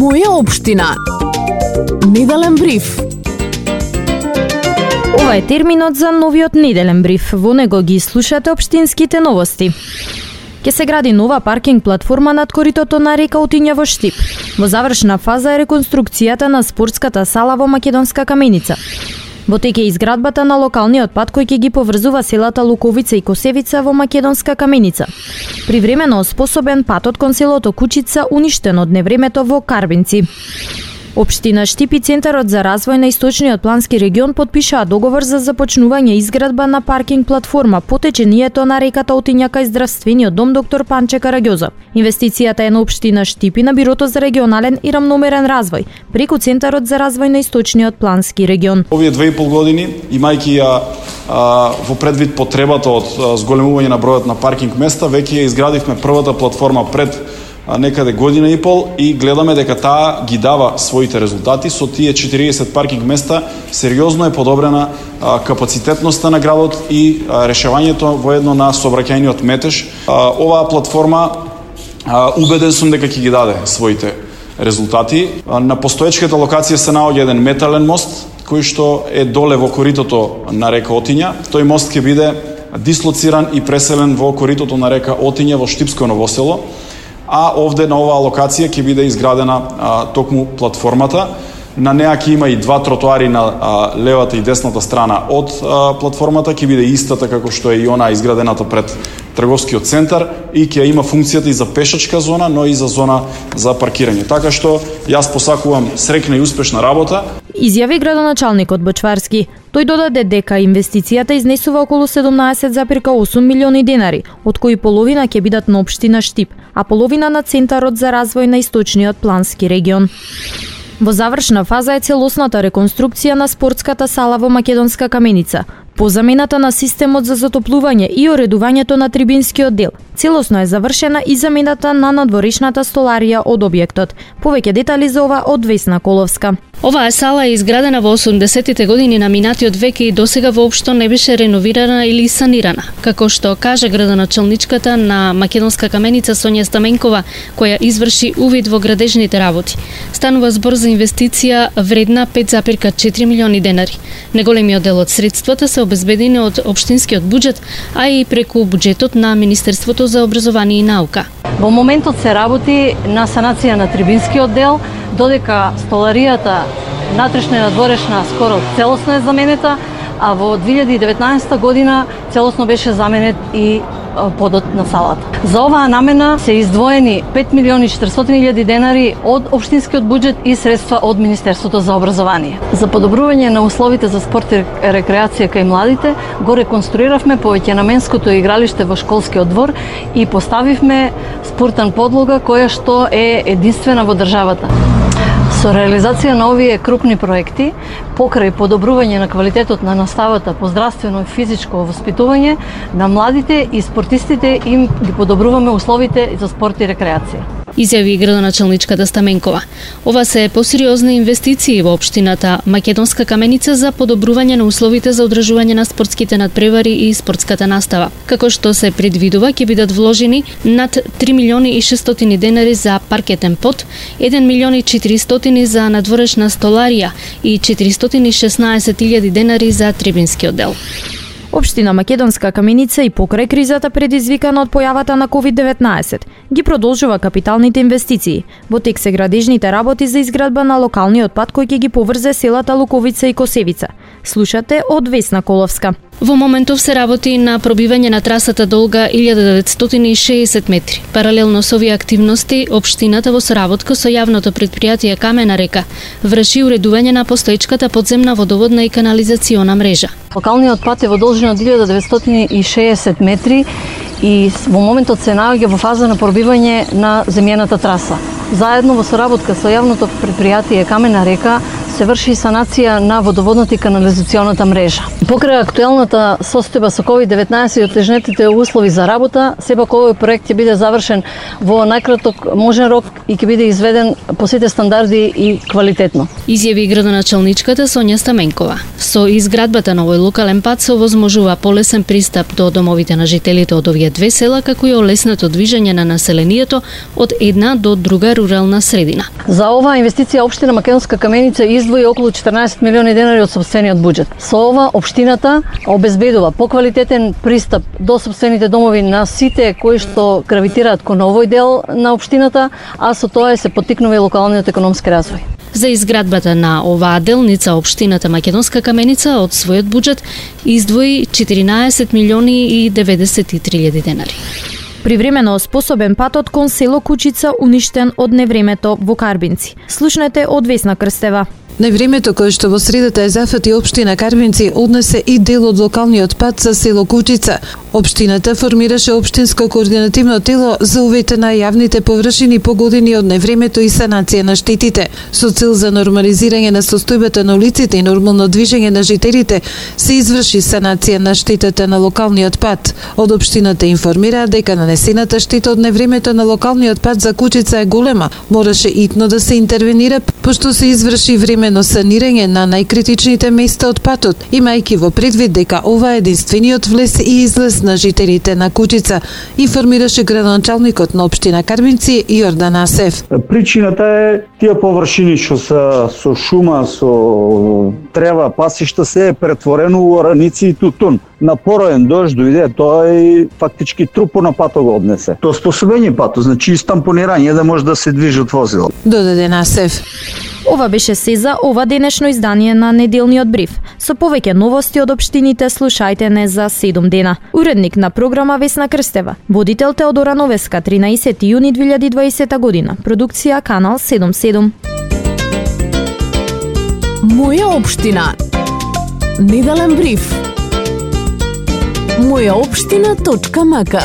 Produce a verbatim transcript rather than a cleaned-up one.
Моја општина. Неделен бриф. Ова е терминот за новиот неделен бриф. Во него ги слушате општинските новости. Ке се гради нова паркинг платформа над коритото на река Отиња во Штип. Во завршна фаза е реконструкцијата на спортската сала во Македонска Каменица. Во тек е изградбата на локалниот пат кој ќе ги поврзува селата Луковица и Косевица во Македонска Каменица. Привремено оспособен патот кон селото Кучица уништен од невремето во Карбинци. Општина Штип и Центарот за развој на Источниот плански регион потпишаа договор за започнување изградба на паркинг платформа по течението на реката Отиња кај здравствениот дом доктор Панче Караѓоза. Инвестицијата е на општина Штип и на Бирото за регионален и рамномерен развој преку Центарот за развој на Источниот плански регион. Овие две и пол години, имајќи ја а, во предвид потребата од а, зголемување на бројот на паркинг места, веќе ја изградивме првата платформа пред некаде година и пол и гледаме дека таа ги дава своите резултати. Со тие четириесет паркинг места сериозно е подобрена а, капацитетноста на градот и а, решавањето воедно на сообраќајниот метеж. А, оваа платформа а, убеден сум дека ќе ги даде своите резултати. А, на постоечката локација се наоѓа еден метален мост кој што е доле во коритото на река Отиња. Тој мост ќе биде дислоциран и преселен во коритото на река Отиња во Штипско Новосело. А овде на оваа локација ќе биде изградена а, токму платформата. На неа ќе има и два тротоари на а, левата и десната страна од а, платформата, ќе биде истата како што е и она изградената пред трговскиот центар и ќе има функцијата и за пешачка зона, но и за зона за паркирање. Така што јас посакувам среќна и успешна работа. Изјави градоначалникот Бочварски. Тој додаде дека инвестицијата изнесува околу седумнаесет зарез осум милиони денари, од кои половина ќе бидат на општина Штип, а половина на Центарот за развој на Источниот плански регион. Во завршна фаза е целосната реконструкција на спортската сала во Македонска Каменица, по замената на системот за затоплување и уредувањето на трибинскиот дел. Целосно е завршена и замената на надворешната столарија од објектот. Повеќе детали за ова од Весна Коловска. Оваа сала е изградена во осумдесеттите години на минатиот век и досега воопшто не беше реновирана или санирана. Како што каже градоначалничката на Македонска Каменица Сонја Стаменкова, која изврши увид во градежните работи. Станува збор за инвестиција вредна пет зарез четири милиони денари. Неголемиот дел од средствата се обезбедени од општинскиот буџет, а и преку буџетот на Министерството за образование и наука. Во моментот се работи на санација на трибинскиот дел, додека столаријата натрешна и надворешна скоро целосно е заменета, а во две илјади и деветнаесетта година целосно беше заменет и подот на салата. За оваа намена се издвоени пет милиони и четиристотини илјади денари од општинскиот буџет и средства од Министерството за образование. За подобрување на условите за спорт и рекреација кај младите, го реконструиравме повеќенаменското игралиште во школскиот двор и поставивме спортен подлога која што е единствена во државата. Со реализација на овие крупни проекти, покрај подобрување на квалитетот на наставата по здравствено и физичко воспитување на младите и спортистите, им ги подобруваме условите за спорт и рекреација. Изјави градоначалничката Стаменкова. Ова се посериозни инвестиции во општината Македонска Каменица за подобрување на условите за одржување на спортските надпревари и спортската настава. Како што се предвидува, ќе бидат вложени над три милиони и шестстотини денари за паркетен пот, еден милион и четиристотини за надворешна столарија и четиристотини и шеснаесет илјади денари за трибинскиот дел. Општина Македонска Каменица и покрај кризата предизвикана од појавата на ковид деветнаесет ги продолжува капиталните инвестиции. Во тек се градежните работи за изградба на локалниот пат кој ќе ги поврзе селата Луковица и Косевица. Слушате од Весна Коловска. Во моментов се работи на пробивање на трасата долга илјада деветстотини и шеесет метри. Паралелно со овие активности, општината во соработка со јавното претпријатие Камена река врши уредување на постоечката подземна водоводна и канализациона мрежа. Локалниот пат е во должина од илјада деветстотини и шеесет метри и во моментот се наоѓа во фаза на пробивање на земјената траса. Заедно во соработка со јавното претпријатие Камена река се врши санација на водоводната и канализационата мрежа. Покрај актуелната состојба со ковид деветнаесет и отежнетите услови за работа, сепак овој проект ќе биде завршен во најкраток можен рок и ќе биде изведен по сите стандарди и квалитетно. Изјави градоначалничката Сонја Стаменкова. Со изградбата на овој локален пат се овозможува полесен пристап до домовите на жителите од овие две села, како и олеснато движење на населението од една до друга рурална средина. За оваа инвестиција општина Македонска Каменица издвои околу четрнаесет милиони денари од сопствениот буџет. Со ова општината обезбедува поквалитетен пристап до сопствените домови на сите кои што гравитираат кон овој дел на општината, а со тоа се поттикнува и локалниот економски развој. За изградбата на оваа делница општината Македонска Каменица од својот буџет издвои четиринаесет милиони и деветдесет и три илјади денари. Привремено способен патот кон село Кучица уништен од невремето во Карбинци. Слушнете од Весна Крстева. Невремето кое што во средата е зафати општина Карбинци однесе и дел од локалниот пат за село Кучица. Општината формираше општинско координативно тело за увејте на јавните површини погодени од невремето и санација на штетите. Со цел за нормализирање на состојбата на улиците и нормално движење на жителите се изврши санација на штетата на локалниот пат. Од општината информираат дека нанесената штета од невремето на локалниот пат за Кучица е голема. Мораше итно да се интервенира, пошто се изврши времено санирање на најкритичните места од патот, имајќи во предвид дека ова е единствениот влез и излез на жителите на Кучица, информираше градоначалникот на општина Карбинци Јордан Асев. Причината е тие површини што се со шума, со трева, пасишта се е претворено во ораници и тутун. На пороен дожд дојде, тоа и фактички трупо на патот го однесе. Тоа способење патот, значи истампонирање да може да се движи од возило. Додаде Асев. Ова беше се за ова денешно издание на неделниот бриф. Со повеќе новости од општините слушајте не за седум дена. Уредник на програма Весна Крстева, водител Теодора Новеска, тринаесети јуни две илјади и дваесета година. Продукција Канал седум седум. Моја општина. Неделен бриф. моја општина точка мака